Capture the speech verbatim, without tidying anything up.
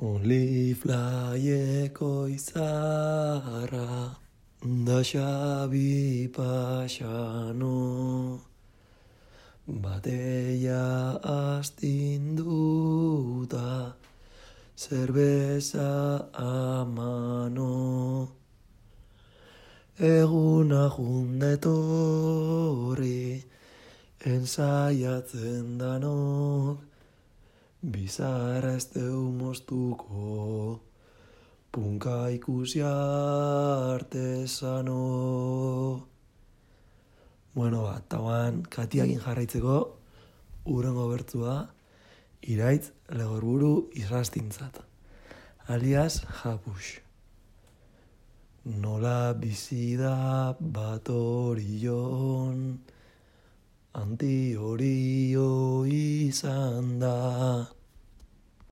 Only flyeko izarra, da xabi pasano, bateia astinduta, zerbeza amano. Eguna jundetorri, ensaiatzen danok, bizarra ez deu moztuko, punka ikusi artesano. Bueno, bat, tauan, katiakin jarraitzeko, urrengo bertzua, iraitz legorburu izrastintzat, alias japux. Nola bizi da bat orion, anti horio izan da.